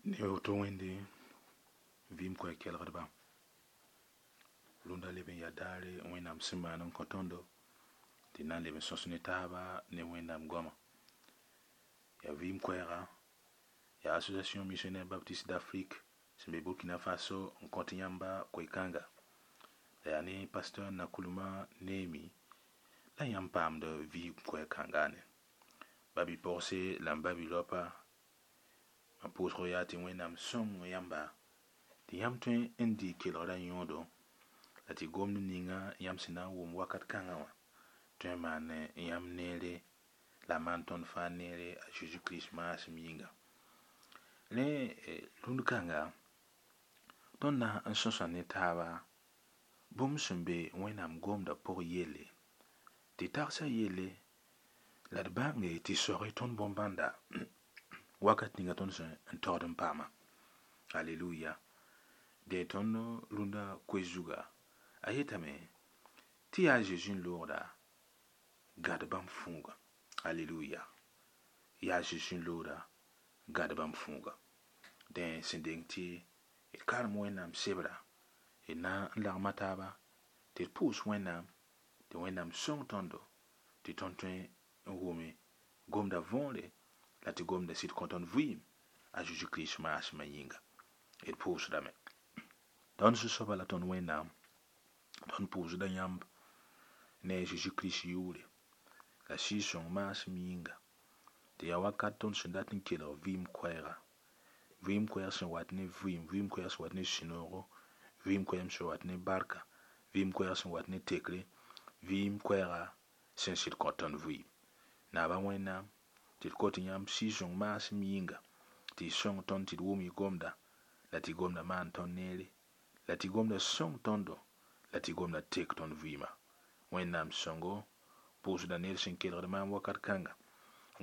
Ne woto wẽnde vɩɩm koɛɛg kelgdba rũndã leb n yaa daare wẽnnaam sẽn maan n kõ tõndo tɩ na n leb n sõs ne taaba ne wẽnnaam goama yaa vɩɩm koɛɛga yaa Association Missionnaire Baptiste d'Afrique sẽn be Burkina Faso n kõt yãmba koe-kãnga la yaa ne pasteur Nakulma Neemi la yãmb paamd vɩɩm koɛɛg kãnga ne ba-bi-pɔgse la m ba-bi-raopa mam pʋʋsg yaa tɩ wẽnnaam sõng yãmba tɩ yãmb tõe n dɩ kelgrã yõodo la tɩ gomd ninga yãmb sẽn na n wʋm wakat kãngã wã tõe n maan yãmb neere la maan tõnd fãa neere a Zeezi Kirist maasem yĩnga rẽ rũnd kãnga tõnd na n sõsa ne taaba bũmb sẽn be wẽnnaam gomdã pʋg yelle tɩ tagsã yelle la d bãnge tɩ soage tõnd bõn-bãnda wakat ninga tõnd sẽn n taood n paama aleluya dẽ tõnd rũndã koe zuga a yetame tɩ yaa Zeezi n loogda gãd bãmb fũuga aleluya yaa Zeezi n loogda gãd bãmb fũuga dẽ sẽn deng tɩ d karem wẽnnaam sebra d na n lagma taaba tɩ d pʋʋs wẽnnaam tɩ wẽnnaam sõng tõndo tɩ tõnd tõe n wʋme gomda võore la tɩ gomda sɩd kõ tõnd vɩɩm a Zeezi Kirist maasmã yĩnga d pʋʋsdame tõnd zu-soaba la tõnd wẽnnaam tõnd pʋʋsda yãmb ne a Zeezi Kirist yʋʋre la Sɩɩg-sõng maasem yĩnga tɩ yaa wakat tõnd sẽn dat n kelg vɩɩm koɛɛga vɩɩm koɛɛg sẽn wat ne vɩɩm vɩɩm koɛɛg sẽn wat ne sũ-noogo vɩɩm koɛɛg sẽn wat ne barka vɩɩm koɛɛg sẽn wat ne tekre vɩɩm koɛɛga sẽn sɩd kõ tõnd vɩɩm naaba wẽnnaam tɩ d kot yãmb Sɩɩg-sõng maasem yĩnga tɩ y sõng tõnd tɩ d wʋm y gomda la tɩ gomda maan tõnd neere la tɩ gomda sõng tõndo la tɩ gomda tek tõnd vɩɩmã wẽnnaam sõngo pʋʋsda ned sẽn kelgd maam wakat kãnga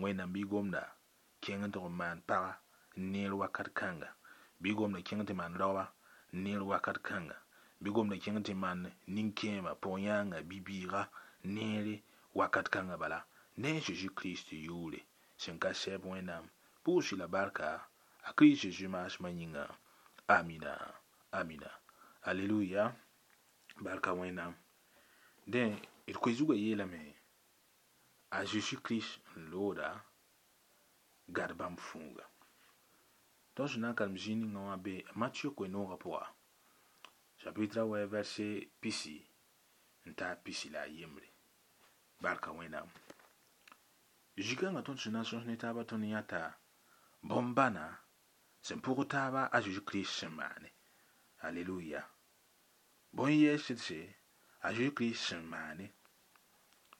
wẽnnaam bɩ gomda kẽng n tʋg n maan paga neer wakat kãnga bɩ gomda kẽng tɩ maan raoa neer wakat kãnga bɩ gomda kẽng tɩ maan nin-kẽema pʋg-yãanga bi-bɩɩga neere wakat kãnga bala ne a Zeezi Kirist yʋʋre sẽn ka sɛb wẽnnaam pʋʋs-y la barka a Kirist Zeezi maasmã yĩnga amina amina aleluya barka wẽnnaam dẽ d koe zugã yeelame a Zeezi Kirist n looda gad bãmb fũuga tõnd sẽn na n karem zĩig ninga wã be Mathieu koe-noogã pʋga chapitre a wɛ verset pisi n taa pisi la a yembre barka wẽnnaam zikãngã tõnd sẽn na n sõs ne taaba tõnd yãta bõn-bãna sẽn pʋg taaba a Zeezi Kirist sẽn maane aleluya bõe yɛɛsdse a Zeezi Kirist sẽn maane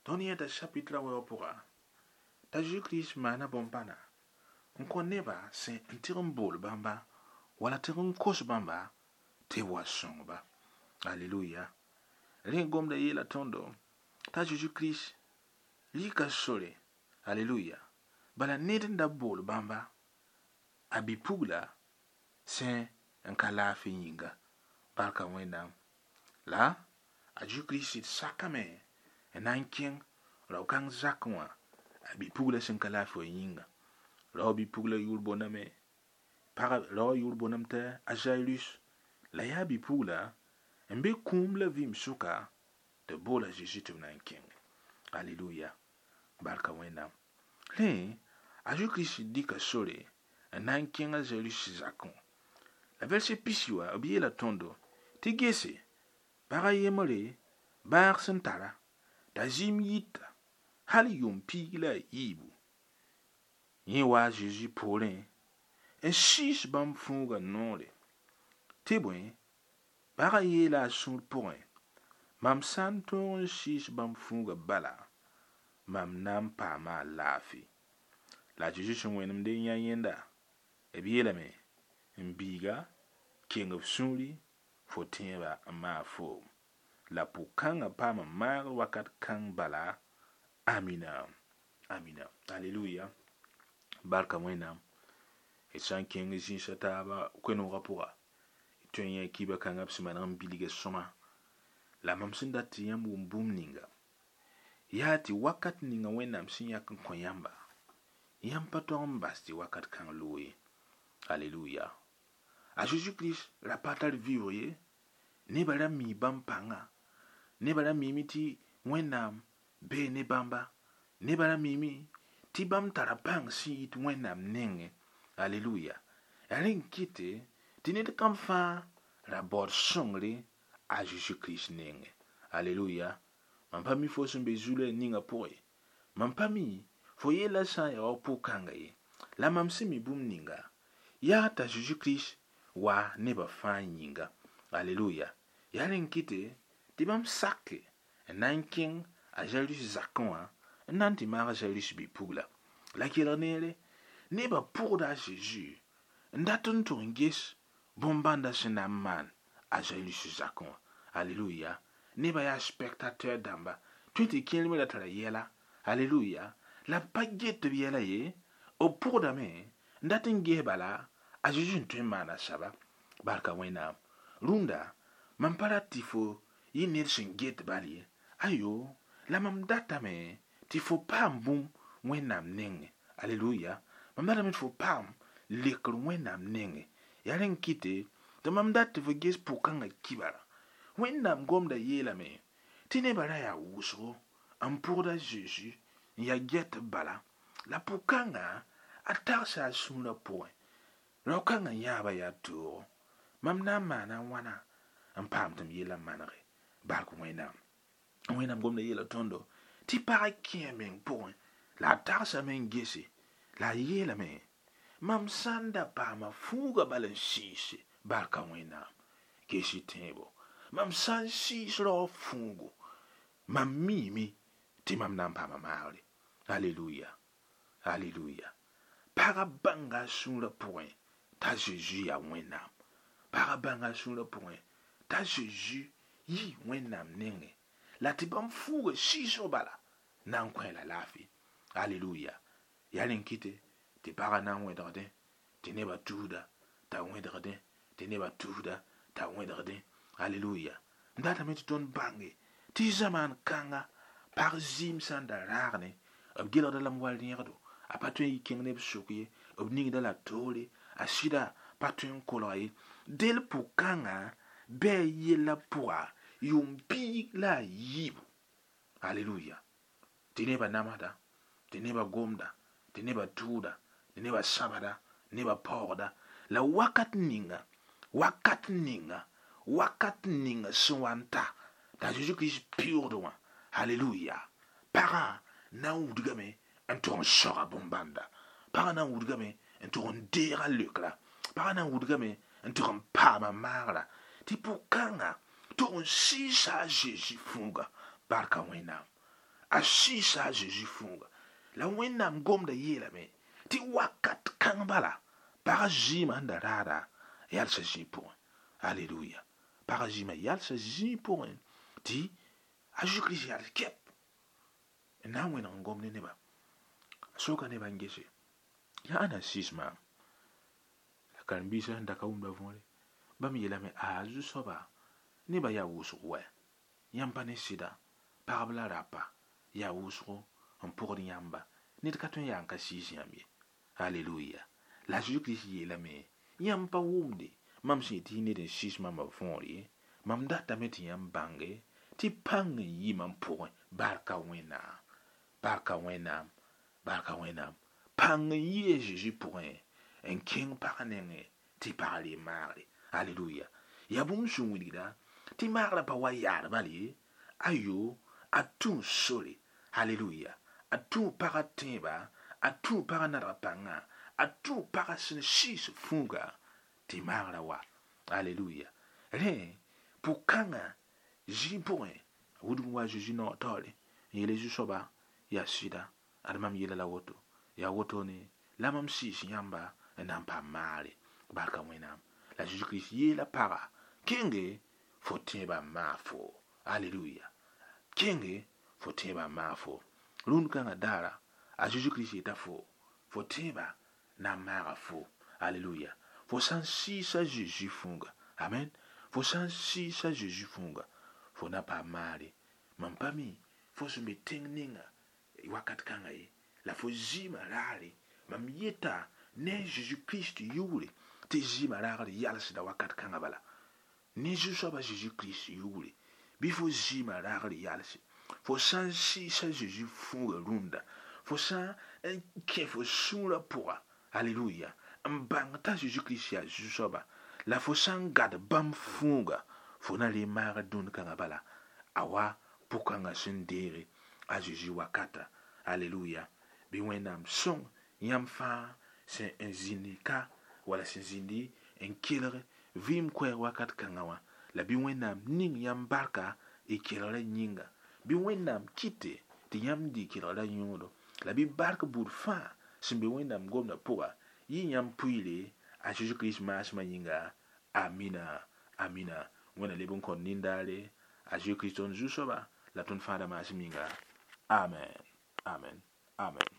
tõnd yẽta chapitre a wɛ wã pʋga t'a Zeezi Kirist maana bõn-bãna n kõ neba sẽn n tɩg n bool bãmba wala tɩg n kos bãmba tɩ b wa sõngba aleluya rẽ gomda yeela tõndo t'a Zeezi Kirist rɩka sore aleluya bala ned n da bool bãmba a bi-pugla sẽn n ka laafɩ yĩnga barka wẽnnaam la a Zeezi Kirist sɩd sakame n na n kẽng rao-kãng zakẽ wã a bi-pugla sẽn ka laafɩ wã yĩnga rao bi-pugla yʋʋr boondame pag rao yʋʋr boondame t'a a Jairus la yaa bi-pugla n be kũum la vɩɩm sʋka tɩ b boola Zeezi tɩ b na n kẽnge aleluya barka wẽnnaam rẽ a Zeezi Kirist dɩka sore n na n kẽng a Jairus zakẽ wã la verset pisi wã b yeela tõndo tɩ gese pag a yembre bãag sẽn tara t'a zĩm yita hal yʋʋm piig la a yiibu yẽ wa a Zeezi poorẽ n sɩɩs bãmb fũuga noore tɩ bõe pagã yeela a sũur pʋgẽ mam sã n tõog n sɩɩs bãmb fũuga bala mam na n paama a laafɩ la a Zeezi sẽn wẽnemde n yã yẽnda b yeelame n biiga keng f sũuri fo tẽebã n maag foom la pʋg-kãngã paama maagr wakat kãng bala amina amina aleluya barka wẽnnaam d sã n kẽng zĩisã taaba koe-noogã pʋga d tõe n yã kiba kãngã b sẽn maneg n bilga sõma la mam sẽn dat tɩ yãmb wʋm bũmb ninga yaa tɩ wakat ninga wẽnnaam sẽn yãk n kõ yãmba yãmb pa tog n bas tɩ wakat kãng loog ye Aleluya. A Jésus Christ ra pa tar vɩʋʋg ye, nebã ra mi bãmb pãnga, nebã ra mime tɩ Wẽnnaam bee ne bãmba, nebã ra mime tɩ bãmb tara pãng sẽn yit Wẽnnaam nengẽ. Aleluya. Yaa rẽ n kɩte tɩ ned kam fãa ra baood sõngre a Jésus Christ nengẽ. Aleluya. Mam pa mi fo sẽn be zu-loɛɛg ninga pʋgẽ. Mam pa mi fo yellã sã n ya wa pʋg-kãnga ye. La mam sẽn mi bũmb ninga, yaa t'a Jésus Christ wa nebã fãa yĩnga. Aleluya. Yaa rẽ n kɩte tɩ bãmb sake n na n kẽng a Jairus zakẽ wã n na n tɩ maag Jairus bi-pugla. La kelg neere, nebã pʋgda a Zeezi n dat n tʋg n ges bõn-bãndã sẽn na n maan a Jairus zakẽ wã. Aleluya. Nebã yaa spectateur dãmba, tõe tɩ kẽer me ra tara yɛla. Aleluya. La b pa get b yɛla ye, b pʋgdame n dat n ges bala a Zeezi n tõe n maana saba. Barka Wẽnnaam. Rũndã, mam pa rat tɩ fo yɩ ned sẽn get bal ye. Ayo, la mam datame tɩ fo paam bũmb Wẽnnaam nengẽ. Aleluya. Mam datame tɩ fo paam lekr Wẽnnaam nengẽ. Yaa rẽ n kɩte tɩ mam dat tɩ fo ges pʋg-kãngã kibara. Wẽnnaam gomda yeelame tɩ nebã ra yaa wʋsgo n pʋgd a Zeezi n yaa gɛtb bala. La pʋg-kãngã a tagsa a sũurã pʋgẽ. Rao-kãngã yãaba yaa toogo. Mam na n maana wãna n paam tɩ m yellã manege. Bark Wẽnnaam. Wẽnnaam gomda yeela tõndo tɩ pagã kẽ a meng pʋgẽ la a tagsame n gese la a yeelame mam sã n da paama fuuga bal n sɩɩse barka Wẽnnaam. Ges-y tẽebo. Mam sã n sɩɩs raoog fuugo, mam miime tɩ mam na n paama maagre. Aleluya. Aleluya. Pagã bãnga a sũurã pʋgẽ t'a Zeezi yaa Wẽnnaam. Pagã bãnga a sũurã pʋgẽ t'a Zeezi yi Wẽnnaam nengẽ la tɩ bãmb fuuga sɩɩsg bala na n kõ la laafɩ. Aleluya. Yaa rẽ n kɩte tɩ pagã na n wẽdgdẽ tɩ nebã tuusda t'a wẽdgdẽ tɩ nebã tuusda t'a wẽdgdẽ. Aleluya. N datame tɩ tõnd bãnge tɩ zamaan kãnga pag zɩɩm sã n da raag ne b gelgda lame wa rẽgdo, a pa tõe n yi kẽng neb sʋk ye, b ningda la toore, a sɩda pa tõe n kolga ye. Del pʋg-kãngã bɩ a yellã pʋga yʋʋm piig la a yiibu. Aleluya. Tɩ nebã namsda, tɩ nebã gomda, tɩ nebã tʋʋda, tɩ nebã sãbda, nebã paoogda. La wakat ninga, wakat ninga, wakat ninga sẽn wa n ta, t'a Zeezi Kirist pɩʋʋgd wã. Aleluya. Pagã na n wudgame n tʋg n soga bõn-bãnda. Pagã na n wudgame n tʋg n deega leokra. Pagã na n wudgame n tʋg n paama maagra. Tɩ pʋg-kãngã tʋg n sɩɩsa a Zeezi fuuga. Barka Wẽnnaam. A sɩɩsa a Zeezi fuuga. La Wẽnnaam gomda yeelame tɩ wakat kãng bala pagã zɩɩmã sẽn da raada yalsa zĩig pʋgẽ. Aleluya. Pagã zɩɩmã yalsa zĩig pʋgẽ tɩ a Zeezi Kirist yals kɛp n na n wẽneg n gom ne nebã. A soka nebã n gese yaa ãnna n sɩɩs maam. La karen-biisã sẽn da ka wʋmda võore, bãmb yeelame a zu-soaba nebã yaa wʋsg wɛ. Yãmb pa ne sɩda, pagb la rapa yaa wʋsgo n pʋgd yãmba. Ned ka tõe n yaa n ka sɩɩs yãmb ye. Aleluya. La Zeezi Kirist yeelame yãmb pa wʋmde mam sẽn yetɩ ned n sɩɩs maamã võor ye. Mam datame tɩ yãmb bãnge tɩ pãng n yi mam pʋgẽ. Barka Wẽnnaam. Barka Wẽnnaam. Barka Wẽnnaam. Pãng n yi a Zeezi pʋgẽ n kẽng pagã nengẽ tɩ pagã ree maagre. Aleluya. Yaa bũmb sẽn wilgda tɩ maagrã pa wa yaad bal ye. Ayo, a tũ sore. Aleluya. A tũ pagã tẽeba, a tũ pagã nadg pãnga, a tũ pagã sẽn sɩɩs fuuga tɩ maagrã wa. Aleluya. Rẽ pʋg-kãngã zĩig pʋgẽ a wudg n wa a Zeezi naoor taoore n yeele zu-soaba yaa sɩda ad mam yeela la woto. Yaa wotone la mam sɩɩs yãmba n na n paam maagre. Barka Wẽnnaam. La Zeezi Kirist yeela pagã kẽnge fo tẽebã n maag fo. Aleluya. Kẽnge fo tẽebã n maag fo. Rũnd kãngã daara a Zeezi Kirist yeta fo, fo tẽebã na n maaga fo. Aleluya. Fo sã n sɩɩsa Zeezi fuuga. Amen. Fo sã n sɩɩsa Zeezi fuuga, fo na paam maagre. Mam pa mi fo sẽn be tẽng ninga wakat kãngã ye, la fo zɩɩmã raare. Mam yeta Ne a Zeezi Kirist yʋʋre tɩ zɩɩmã raagd yalsda wakat kãngã bala. Ne Zu-soabã Zeezi Kirist yʋʋre bɩ fo zɩɩmã raagd yalse. Fo sã n sɩɩsa Zeezi fũuga rũndã, fo sã n kẽ fo sũurã pʋga, aleluya, n bãng t'a Zeezi Kirist yaa Zu-soaba, la fo sã n gad bãmb fũuga, fo na ree maagd dũni kãngã bala, a wa pʋkãngã sẽn deege a Zeezi wakata. Aleluya. Bɩ Wẽnnaam sõng yãmb fãa sẽn n zĩndi ka wala sẽn zĩndi n kelg vɩɩm koɛɛg wakat kãngã wã, la bɩ Wẽnnaam ning yãmb barka y kelgrã yĩnga. Bɩ Wẽnnaam kɩte tɩ yãmb dɩ kelgrã yõodo, la bɩ bark buud fãa sẽn be Wẽnnaam gomdã pʋga yɩ yãmb pʋɩɩre a Zeezi Kirist maasmã yĩnga. Amina, amina. Wẽnna leb n kõt nindaare a Zeezi Kirist tõnd Zu-soaba la tõnd Fãada maasem yĩnga. Amen, amen, amen.